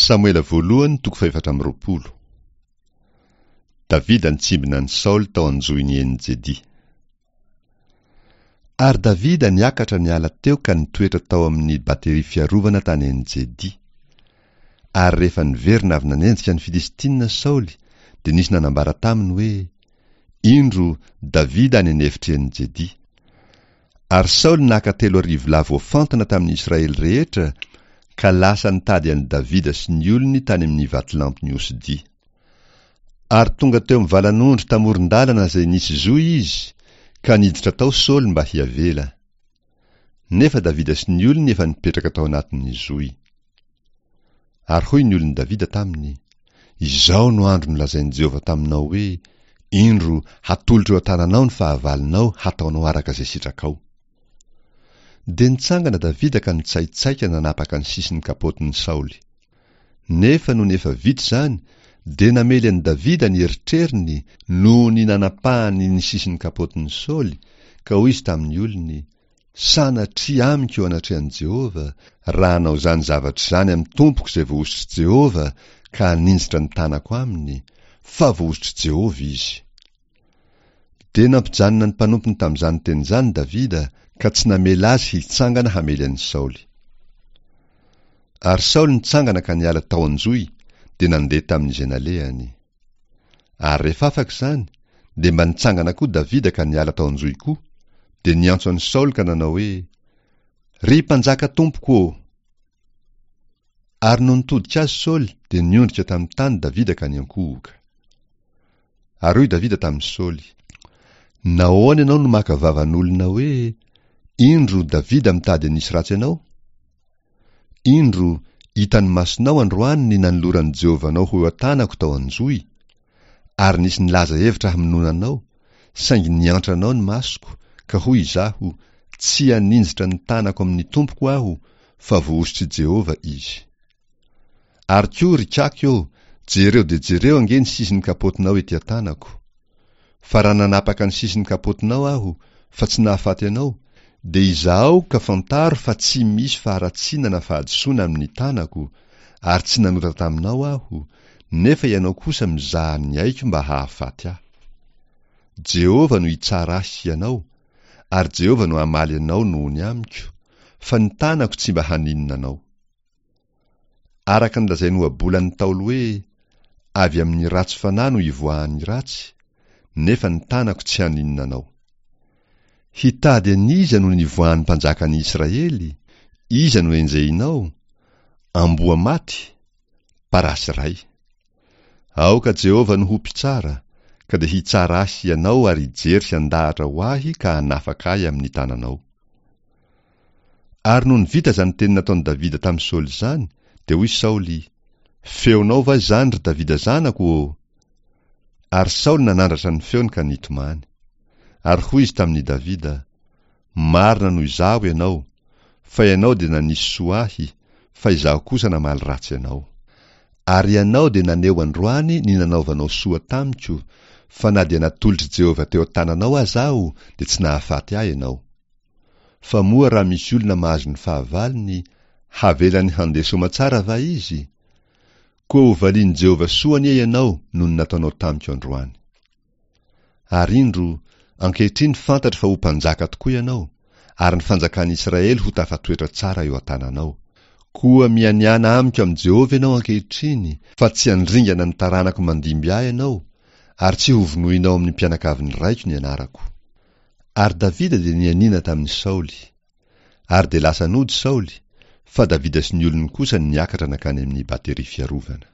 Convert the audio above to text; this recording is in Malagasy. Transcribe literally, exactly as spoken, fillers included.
Samoela voalohany toko fahefatra amby roapolo. Davida nitsimbina an'i Saoly tao an-johin'i En-Jedy. Ary Davida niakatra niala teo ka nitoetra tao amin'ny bateria fiarovana tany En-Jedy. Ary rehefa niverina avy nanenjika ny Filistina Saoly, dia nisy nanambara taminy hoe, Indro Davida any an'efitr'i En-Jedy. Ary Saoly naka telo arivo lahy voafantina tamin'ny Israely rehetra ka lasa nitady an'i Davida sy ny olony tany amin'ny vatolampin'ny Osidia. Ary tonga teo amin'ny valan'ondry tamoron-dalana izay nisy zohy izy, ka niditra tao Saoly mba hiavela. Nefa Davida sy ny olony efa nipetraka tao anatin'ny zohy. Ary hoy ny olon'i Davida taminy, Izao no andro nolazain'i Jehovah taminao hoe, Indro, hatolotro eo an-tananao ny fahavalonao hataonao araka izay sitrakao. Dia nitsangana Davida ka nitsaitsaika nanapaka ny sisin'ny kapotin'i Saoly. Nefa nony efa vita izany, dia namely an'i Davida ny eritreriny noho ny nanapahany ny sisin'ny kapotin'i Saoly, ka hoy izy tamin'ny olony, Sanatria amiko eo anatrehan'i Jehovah, raha hanao izany zavatra izany amin'ny tompoko izay voahosotr'i Jehovah ka haninjitra ny tanako aminy, fa voahosotr'i Jehovah izy. Dia nampijanona ny mpanompony tamin'izany teny izany Davida, ka tsy namela azy hitsangana hamely an'i Saoly. Ary Saoly nitsangana ka niala tao an-johy, dia nandeha tamin'izay nalehany. Ary rehefa afaka izany, dia mba nitsangana koa Davida ka niala tao an-johy koa, dia niantso an'i Saoly ka nanao hoe, Ry mpanjaka tompoko ô! Ary nony nitodika azy Saoly, dia niondrika tamin'ny tany Davida ka niankohoka. Ary hoy Davida tamin'i Saoly, Nahoana ianao no maka vavan'olona hoe, Indro Davida mitady hanisy ratsy anao? Indro, hitan'ny masonao androany ny nanoloran'i Jehovah anao ho eo an-tanako tao an-johy, ary nisy nilaza hevitra hamonoana anao, saingy niantra anao ny masoko, ka hoy izaho, Tsy haninjitra ny tanako amin'ny tompoko aho, fa voahosotr'i Jehovah izy. Ary koa, ry kaky ô, jereo dia jereo ange ny sisin'ny kapotinao ety an-tanako. Fa raha nanapaka ny sisin'ny kapotinao aho, fa tsy nahafaty anao, dia izahao ka fantaro fa tsy misy faharatsiana na fahadisoana amin'ny tanako, ary tsy nanota taminao aho, nefa ianao kosa mizaha ny aiko mba hahafaty ahy. Jehovah no hitsara ahy sy ianao, ary Jehovah no hamaly anao noho ny amiko, fa ny tanako tsy mba haninona anao. Araka ny lazain'ny ohabolan'ny Ntaolo hoe, Avy amin'ny ratsy fanahy no ivoahan'ny ratsy, nefa ny tanako tsy haninona anao. Hitady an'iza no nivoahan'ny mpanjakan'ny Israely? Iza no enjehinao? Amboa maty? Parasy iray. Aoka Jehovah no ho mpitsara, ka dia hitsara ahy sy ianao ary hijery sy handahatra ho ahy ka hanafaka ahy amin'ny tananao. Ary nony vita izany teny nataon'i Davida tamin'i Saoly izany, dia hoy Saoly, Feonao va izany, ry Davida zanako ô? Ary Saoly nanandratra ny feony ka nitomany. Ary hoy izy tamin'i Davida, Marina noho izaho ianao, fa ianao dia nanisy soa ahy, fa izaho kosa namaly ratsy anao. Ary ianao dia naneho androany ny nanaovanao soa tamiko, fa na dia natolotr'i Jehovah teo an-tananao aza aho, dia tsy nahafaty ahy ianao. Fa moa raha misy olona mahazo ny fahavalony, havelany handeha soamatsara va izy? Koa hovalian'i Jehovah soa anie ianao noho ny nataonao tamiko androany. Ary indro, ankehitriny fantatro fa ho mpanjaka tokoa ianao, ary ny fanjakan'i Israely ho tafatoetra tsara eo an-tananao. Koa mianiàna amiko amin'i Jehovah ianao ankehitriny, fa tsy handringana ny taranako mandimby ahy ianao, ary tsy hovonoinao amin'ny mpianakavin'ny raiko ny anarako. Ary Davida dia nianiana tamin'i Saoly. Ary dia lasa nody Saoly, fa Davida sy ny olony kosa niakatra nankany amin'ny bateria fiarovana.